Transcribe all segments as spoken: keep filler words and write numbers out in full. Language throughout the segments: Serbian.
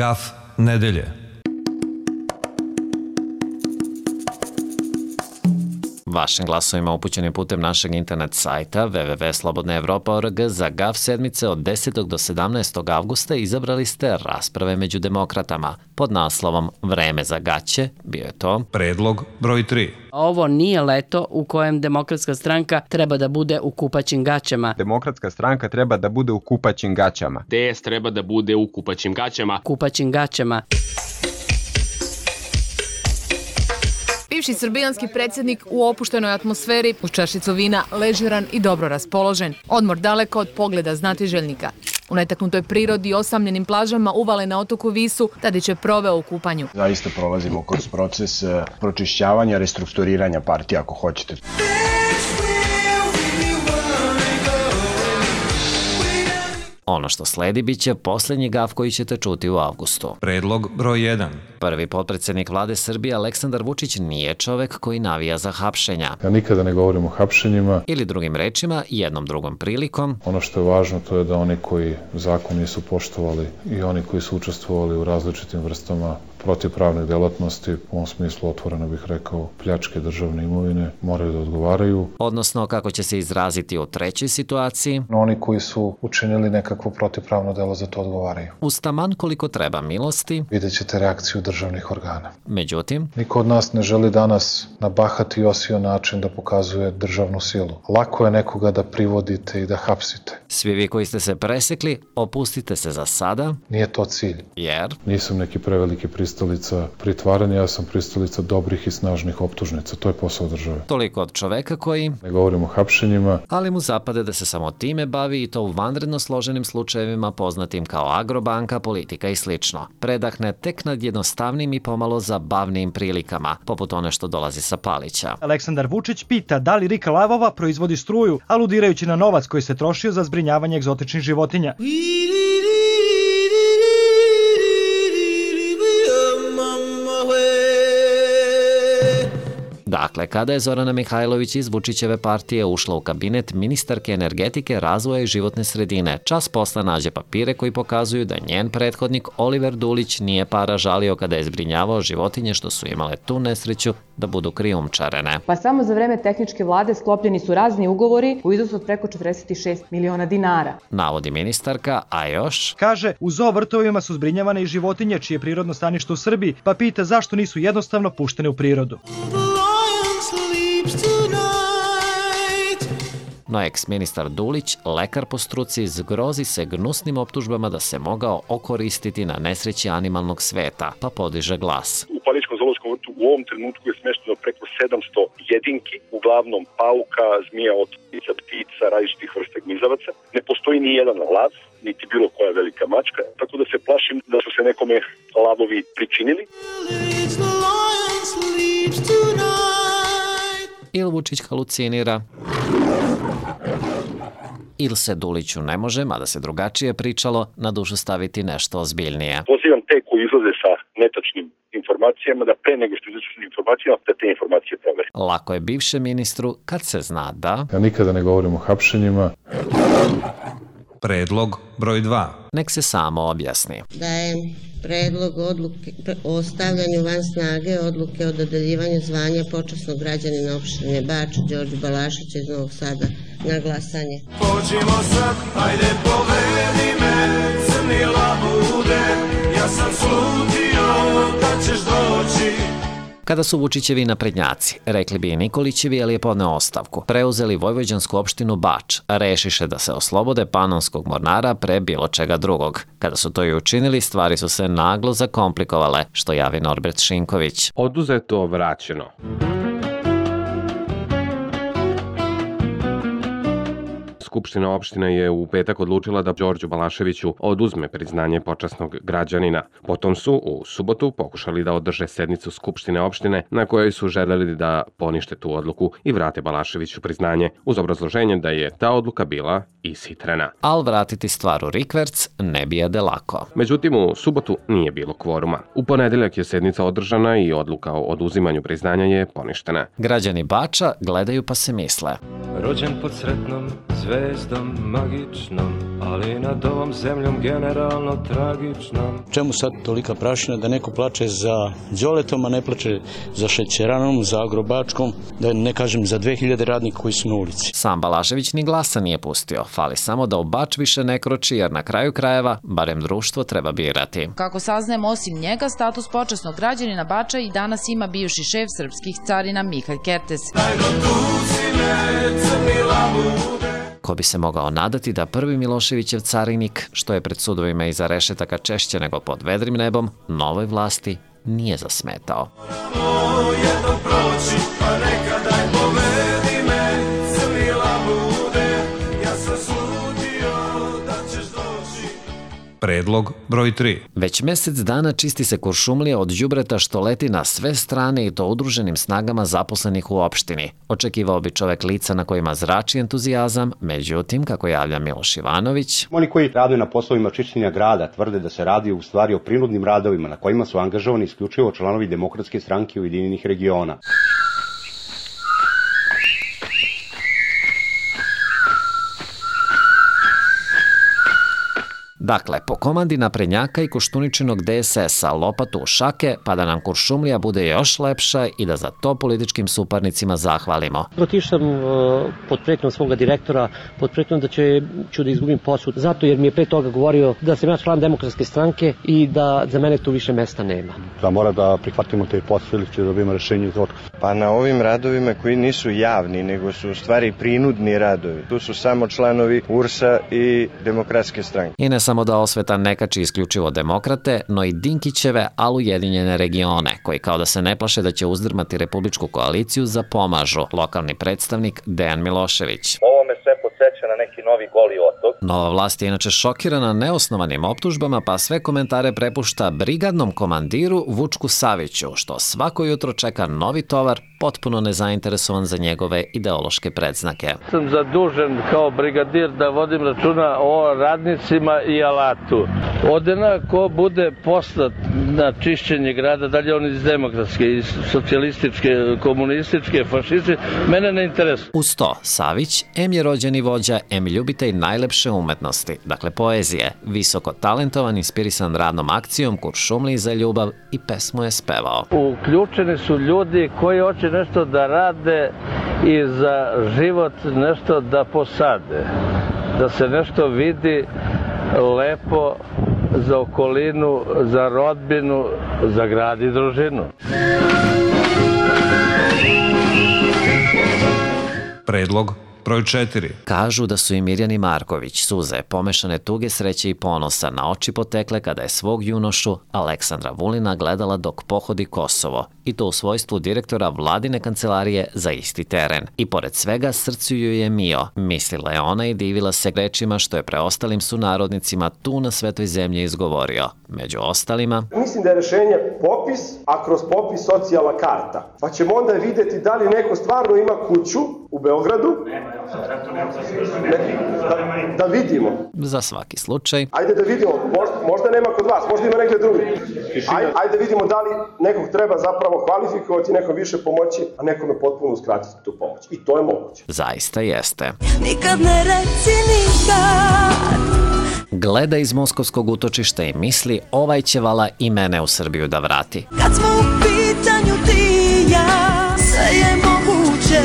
Gaf nedelje. Vašim glasovima upućenim putem našeg internet sajta w w w tačka slobodna evropa tačka org za Gaf sedmice od desetog do sedamnaestog avgusta izabrali ste rasprave među demokratama. Pod naslovom Vreme za gaće bio je to Predlog broj tri. Ovo nije leto u kojem Demokratska stranka treba da bude u kupaćim gaćama. Demokratska stranka treba da bude u kupaćim gaćama. D S treba da bude u kupaćim gaćama. Kupaćim gaćama. Bivši srbijanski predsjednik u opuštenoj atmosferi, uz čašicu vina, ležeran i dobro raspoložen. Odmor daleko od pogleda znatiželjnika. U netaknutoj prirodi i osamljenim plažama uvale na otoku Visu, Tadić je proveo u kupanju. Zaista prolazimo kroz proces pročišćavanja, restrukturiranja partije, ako hoćete. Ono što sledi bit će posljednji gaf koji ćete čuti u avgustu. Predlog broj jedan. Prvi potpredsjednik vlade Srbije Aleksandar Vučić nije čovek koji navija za hapšenja. Ja nikada ne govorim o hapšenjima. Ili drugim rečima, jednom drugom prilikom. Ono što je važno to je da oni koji zakon nisu poštovali i oni koji su učestvovali u različitim vrstama protivpravne delatnosti, u ovom smislu otvoreno bih rekao pljačke državne imovine, moraju da odgovaraju. Odnosno, kako će se izraziti u trećoj situaciji. Oni koji su učinili nekakvo protivpravno delo za to odgovaraju. Uz taman koliko treba milosti. Vidjet ćete reakciju državnih organa. Međutim, niko od nas ne želi danas na bahati i osio način da pokazuje državnu silu. Lako je nekoga da privodite i da hapsite. Svi vi koji ste se presekli, opustite se za sada. Nije to cilj. Jer? Nisam neki preveliki pristalica pritvaranja, ja sam pristalica dobrih i snažnih optužnica. To je posao države. Toliko od čoveka koji... Ne govorimo o hapšenjima. Ali mu zapade da se samo time bavi i to u vanredno složenim slučajevima poznatim kao Agrobanka, politika i slično. Predahne tek nad jednostavnim i pomalo zabavnim prilikama, poput one što dolazi sa Palića. Aleksandar Vučić pita da li Rika Lavova proizvodi struju, aludirajući na novac koji se trošio za zbrinjavanje egzotičnih životinja. Dakle, kada je Zorana Mihajlović iz Vučićeve partije ušla u kabinet ministarke energetike, razvoja i životne sredine, čas posle nađe papire koji pokazuju da njen prethodnik Oliver Dulić nije para žalio kada je zbrinjavao životinje što su imale tu nesreću da budu krijumčarene. Pa samo za vreme tehničke vlade sklopljeni su razni ugovori u iznosu od preko četrdeset šest miliona dinara. Navodi ministarka, a još... Kaže, u zoo vrtovima su zbrinjavane i životinje čije je prirodno stanište u Srbiji, pa pita zašto nisu jednostavno puštene u prirodu. No eks-ministar Dulić, lekar po struci, zgrozi se gnusnim optužbama da se mogao okoristiti na nesreći animalnog sveta, pa podiže glas. U Palićkom zoološkom vrtu u ovom trenutku je smešteno preko sedamsto jedinki, uglavnom pauka, zmija, otmica, ptica, različitih vrsta gnizavaca. Ne postoji ni jedan lav, niti bilo koja velika mačka, tako da se plašim da su se nekome lavovi pričinili. Il Vučić halucinira, ili se Duliću ne može, mada se drugačije pričalo, na dušu staviti nešto ozbiljnije. Pozivam te koji izlaze sa netačnim informacijama da pre nego što izađu sa informacijama da te informacije provere. Lako je bivšem ministru kad se zna da... Ja nikada ne govorim o hapšenjima. Predlog broj dva. Nek se samo objasni. Dajem predlog odluke o stavljanju van snage odluke o dodeljivanju zvanja počasnog građanina opštine Bač Đorđu Balašića iz Novog Sada na glasanje. Pođimo sad, ajde povedi me, crni labude, ja sam slutio da ćeš doći. Kada su Vučićevi naprednjaci, rekli bi i Nikolićevi, ali je podneo ostavku, preuzeli vojvođansku opštinu Bač, rešiše da se oslobode panonskog mornara pre bilo čega drugog. Kada su to i učinili, stvari su se naglo zakomplikovale, što javi Norbert Šinković. Oduzeto, vraćeno. Skupština opštine je u petak odlučila da Đorđu Balaševiću oduzme priznanje počasnog građanina. Potom su u subotu pokušali da održe sednicu Skupštine opštine na kojoj su želeli da ponište tu odluku i vrate Balaševiću priznanje uz obrazloženje da je ta odluka bila ishitrena. Al vratiti stvar u rikverc ne bijede lako. Međutim, u subotu nije bilo kvoruma. U ponedeljak je sednica održana i odluka o oduzimanju priznanja je poništena. Građani Bača gledaju pa se misle. rođen pod sretnom zvezdom magičnom, ali nad ovom zemljom generalno tragičnom. Čemu sad tolika prašina da neko plače za Đoletom, a ne plače za Šećeranom, za Agrobačkom, da ne kažem za dve hiljade radnika koji su na ulici. Sam Balašević ni glasa nije pustio. Fali samo da u Bač više ne kroči, jer na kraju krajeva barem društvo treba birati. Kako saznajemo, osim njega, status počasnog građanina Bača i danas ima bivši šef srpskih carina Mihalj Kertes. Ko bi se mogao nadati da prvi Miloševićev carinik, što je pred sudovima iza rešetaka češće nego pod vedrim nebom, novoj vlasti nije zasmetao. Predlog broj tri. Već mesec dana čisti se Kuršumlija od đubreta što leti na sve strane i to udruženim snagama zaposlenih u opštini. Očekivao bi čovek lica na kojima zrači entuzijazam, međutim, kako javlja Miloš Ivanović, oni koji rade na poslovima čišćenja grada tvrde da se radi u stvari o prinudnim radovima na kojima su angažovani isključivo članovi Demokratske stranke Ujedinjenih regiona. Dakle, po komandi naprednjaka i Koštuničinog de es es-a lopatu u šake, pa da nam Kuršumlija bude još lepša i da za to političkim suparnicima zahvalimo. Otišao sam uh, pod pretnjom svoga direktora, pod pretnjom da će, ću da izgubim posao, zato jer mi je pre toga govorio da sam ja član Demokratske stranke i da za mene tu više mesta nema. Da mora da prihvatimo te posao ili će da dobijemo rešenje za otkaz. Pa na ovim radovima koji nisu javni, nego su u stvari prinudni radovi. Tu su samo članovi U R S-a i Demokratske stranke. I ne samo da osveta ne kači isključivo demokrate, no i Dinkićeve, ali ujedinjene regione, koji kao da se ne plaše da će uzdrmati republičku koaliciju, zapomažu. Lokalni predstavnik Dejan Milošević. Ovo me sve podsjeća na neki novi Goli otok. Nova vlast je inače šokirana neosnovanim optužbama, pa sve komentare prepušta brigadnom komandiru Vučku Saviću, što svako jutro čeka novi tovar, potpuno nezainteresovan za njegove ideološke predznake. Sam zadužen kao brigadir da vodim računa o radnicima i alatu. Odena ko bude poslat na čišćenje grada, dalje on iz demokratske, iz socijalističke, komunističke, fašističke, mene ne interesuje. Uz to, Savić, em je rođeni vođa, em ljubitelj najlepše umetnosti, dakle poezije, visoko talentovan, inspirisan radnom akcijom Kuršumliji za ljubav i pesmu je spevao. Uključeni su ljudi koji hoće nešto da rade i za život nešto da posade, da se nešto vidi lepo za okolinu, za rodbinu, za grad i družinu. Predlog broj četiri. Kažu da su i Mirjani Marković suze, pomešane tuge, sreće i ponosa, na oči potekle kada je svog junošu Aleksandra Vulina gledala dok pohodi Kosovo, i to u svojstvu direktora vladine kancelarije za isti teren. I pored svega srcu ju je mio, mislila je ona i divila se rečima što je preostalim sunarodnicima tu na svetoj zemlji izgovorio. Među ostalima, mislim da je rešenje popis, a kroz popis socijalna karta. Pa ćemo onda videti da li neko stvarno ima kuću u Beogradu. Ne, da, da vidimo. Za svaki slučaj. Ajde da vidimo, možda, možda nema kod vas, možda ima negde drugi. Ajde, ajde da vidimo da li nekog treba zapravo kvalifikovati, nekom više pomoći, a nekome potpuno uskratiti tu pomoć. I to je moguće. Zaista jeste. Nikad ne reci nikad. Gleda iz moskovskog utočišta i misli, ovaj će vala i mene u Srbiju da vrati. Kad smo u pitanju ti i ja, sve je moguće.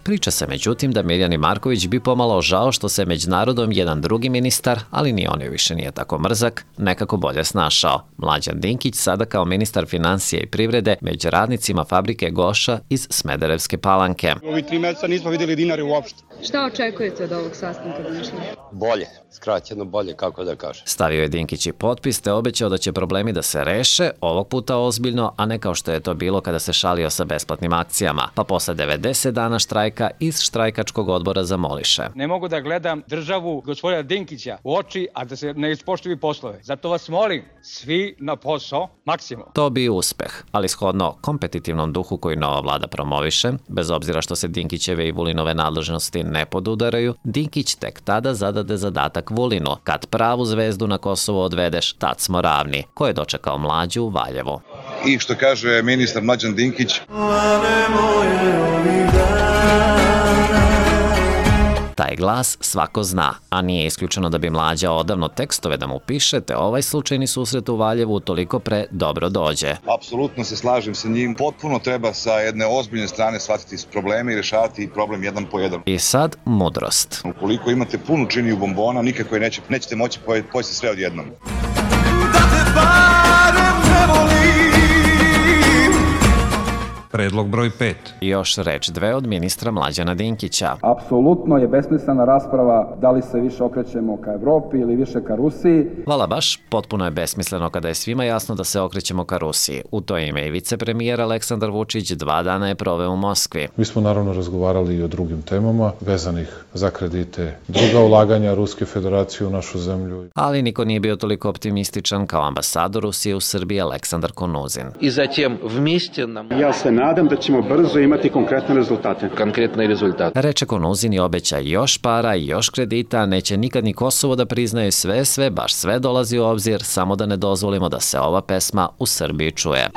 Priča se međutim da Mirjani Marković bi pomalo žao što se među narodom jedan drugi ministar, ali ni on joj više nije tako mrzak, nekako bolje snašao. Mlađan Dinkić sada kao ministar financije i privrede među radnicima fabrike Goša iz Smederevske Palanke. U ovi tri meseca nismo vidjeli dinari uopšte. Šta očekujete od ovog sastanka današnjeg? Bolje, skraćeno bolje, kako da kažem. Stavio je Dinkić i potpis te obećao da će problemi da se reše, ovog puta ozbiljno, a ne kao što je to bilo kada se šalio sa besplatnim akcijama. Pa posle devedeset dana štrajka iz štrajkačkog odbora zamoliše. Ne mogu da gledam državu gospodina Dinkića u oči, a da se ne ispoštuju poslove. Zato vas molim, svi na posao, maksimum. To bi uspeh, ali shodno kompetitivnom duhu koji nova vlada promoviše, bez obzira što se Dinkićeve i Vulinove nadležnosti ne podudaraju, Dinkić tek tada zadade zadatak Vulinu. Kad pravu zvezdu na Kosovo odvedeš, tad smo ravni, ko je dočekao Mlađu u Valjevu. I što kaže ministar Mlađan Dinkić, Lane moje ovih dana. glas svako zna, a nije isključeno da bi Mlađa odavno tekstove da mu piše, te ovaj slučajni susret u Valjevu toliko pre dobro dođe. Apsolutno se slažem sa njim. Potpuno treba sa jedne ozbiljne strane shvatiti probleme i rešavati problem jedan po jedan. I sad mudrost. Ukoliko imate punu činiju bombona, nikako je neće, nećete moći pojesti sve odjednom. Predlog broj pet. Još reč dve od ministra Mlađana Dinkića. Apsolutno je besmislena rasprava da li se više okrećemo ka Evropi ili više ka Rusiji. Vala baš, potpuno je besmisleno kada je svima jasno da se okrećemo ka Rusiji. U to ime i vicepremijer Aleksandar Vučić dva dana je proveo u Moskvi. Mi smo naravno razgovarali i o drugim temama vezanih za kredite, druga ulaganja Ruske federacije u našu zemlju. Ali niko nije bio toliko optimističan kao ambasador Rusije u Srbiji Aleksandar Konuzin. I zatim vmiste nam... Ja se nadam da ćemo brzo imati konkretne rezultate. Konkretne rezultate. Reče Konuzin i obeća još para i još kredita, neće nikad ni Kosovo da priznaje sve, sve, baš sve dolazi u obzir, samo da ne dozvolimo da se ova pesma u Srbiji čuje.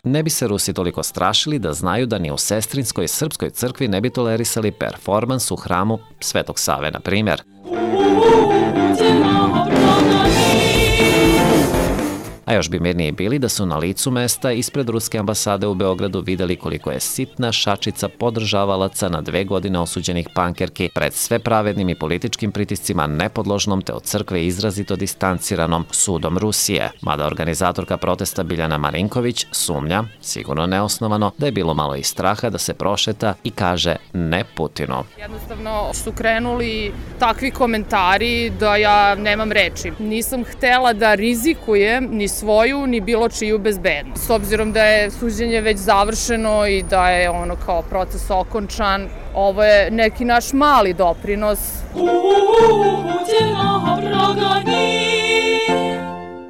Ne bi se Rusi toliko strašili da znaju da ni u sestrinskoj srpskoj crkvi ne bi tolerisali performans u hramu Svetog Save, na primjer. A još bi mirniji bili da su na licu mesta ispred ruske ambasade u Beogradu videli koliko je sitna šačica podržavalaca na dve godine osuđenih pankerki pred sve pravednim i političkim pritiscima nepodložnom te od crkve izrazito distanciranom sudom Rusije. Mada organizatorka protesta Biljana Marinković sumnja, sigurno neosnovano, da je bilo malo i straha da se prošeta i kaže ne Putinu. Jednostavno su krenuli takvi komentari da ja nemam reči. Nisam htela da rizikujem ni svoju, ni bilo čiju bezbednost. S obzirom da je suđenje već završeno i da je ono kao proces okončan, ovo je neki naš mali doprinos.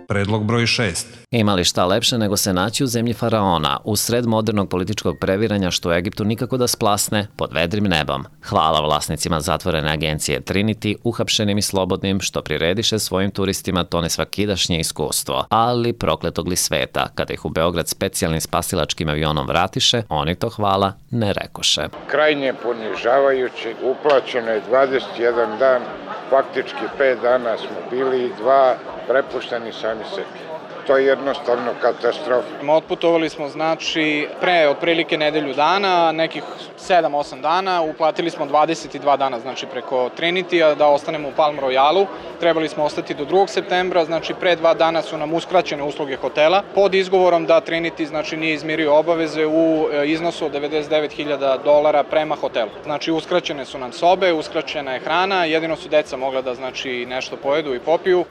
Predlog broj šest. Ima li šta lepše nego se naći u zemlji faraona, u sred modernog političkog previranja što u Egiptu nikako da splasne pod vedrim nebom. Hvala vlasnicima zatvorene agencije Trinity, uhapšenim i slobodnim, što prirediše svojim turistima to nesvakidašnje iskustvo. Ali prokletog li sveta, kada ih u Beograd specijalnim spasilačkim avionom vratiše, oni to hvala ne rekoše. Krajnje ponižavajuće, uplaćeno je dvadeset jedan dan, faktički pet dana smo bili i dva prepušteni sami sebi. To je jednostavno katastrofa. Otputovali smo znači pre otprilike nedelju dana, nekih sedam osam dana, uplatili smo dvadeset dva dana znači preko Trinity-a da ostanemo u Palm Royalu. Trebali smo ostati do drugog septembra, znači pre dva dana su nam uskraćene usluge hotela pod izgovorom da Trinity znači nije izmirio obaveze u iznosu od devedeset devet hiljada dolara prema hotelu. Znači uskraćene su nam sobe, uskraćena je hrana, jedino su deca mogla da znači nešto pojedu i popiju.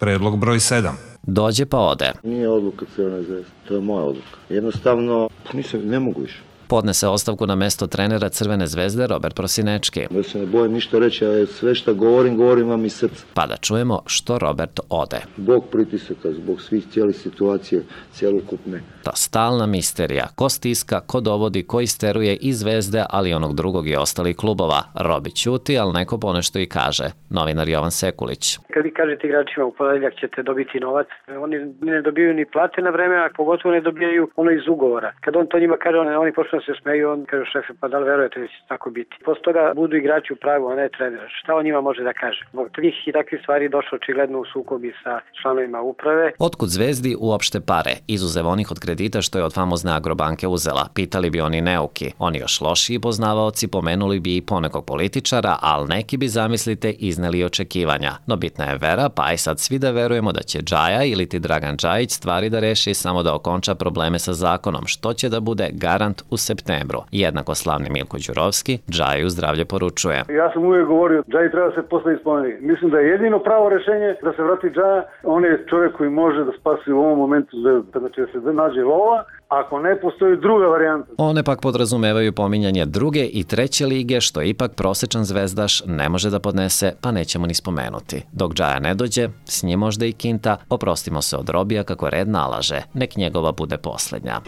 Predlog broj sedam. Dođe pa ode. Nije odluka Crvene zvezde, to je moja odluka. Jednostavno, nisam, ne mogu više. Podnese ostavku na mesto trenera Crvene zvezde Robert Prosinečki. Ja se ne bojim ništa reći, a sve što govorim, govorim vam iz srca. Pa da čujemo što Robert ode. Zbog pritisaka, zbog svih cijelih situacije, cijelokupne. Ta stalna misterija, ko stiska, ko dovodi, ko isteruje i Zvezde, ali onog drugog i ostalih klubova. Robi ćuti, ali neko ponešto i kaže. Novinar Jovan Sekulić. Kad vi kažete igračima u ponedeljak ćete dobiti novac, oni ne dobijaju ni plate na vreme, a pogotovo ne dobijaju ono iz ugovora. Kad on to njima kaže, oni, oni počnu se smeju, on kaže šefe, pa da li verujete da će tako biti. Posle toga budu igrači u pravu, a ne trener. Šta on njima može da kaže? Zbog tvih i takvih stvari došlo očigledno u sukobi sa članovima uprave. Otkud Zvezdi uopšte pare, izuzev onih od kredita što je od famozne Agrobanke uzela? Pitali bi oni neuki. Oni još lošiji poznavaoci pomenuli bi i ponekog političara, ali neki bi, zamislite, izneli očekivanja. No bitna je vera, pa aj sad svi da verujemo da će Džaja ili ti Dragan Džajić stvari da reši samo da okonča probleme sa zakonom, što će da bude garant u septembru. Jednako slavni Milko Đurovski Džaju zdravlje poručuje. Ja sam uvijek govorio, Džaji treba se posle ispomenuti. Mislim da je jedino pravo rešenje da se vrati Džaja. On je čovjek koji može da spasi u ovom momentu, znači da se nađe lova, ako ne postoji druga varijanta. One pak podrazumevaju pominjanje druge i treće lige, što ipak prosečan zvezdaš ne može da podnese, pa nećemo ni spomenuti. Dok Džaja ne dođe, s njim možda i Kinta, oprostimo se od Robija kako red nalaže, nek njegova bude poslednja.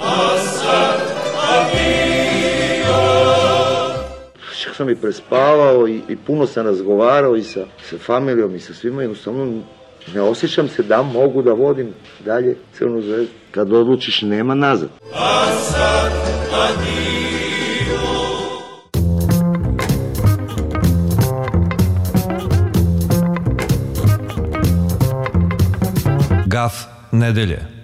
Čak sam i prespavao i, i puno sam razgovarao i sa, sa familijom i sa svima, jednostavno Ne osjećam se da mogu da vodim dalje Crvenu zvezdu. Kad odlučiš, nema nazad. A sad adio. Gaf nedelje.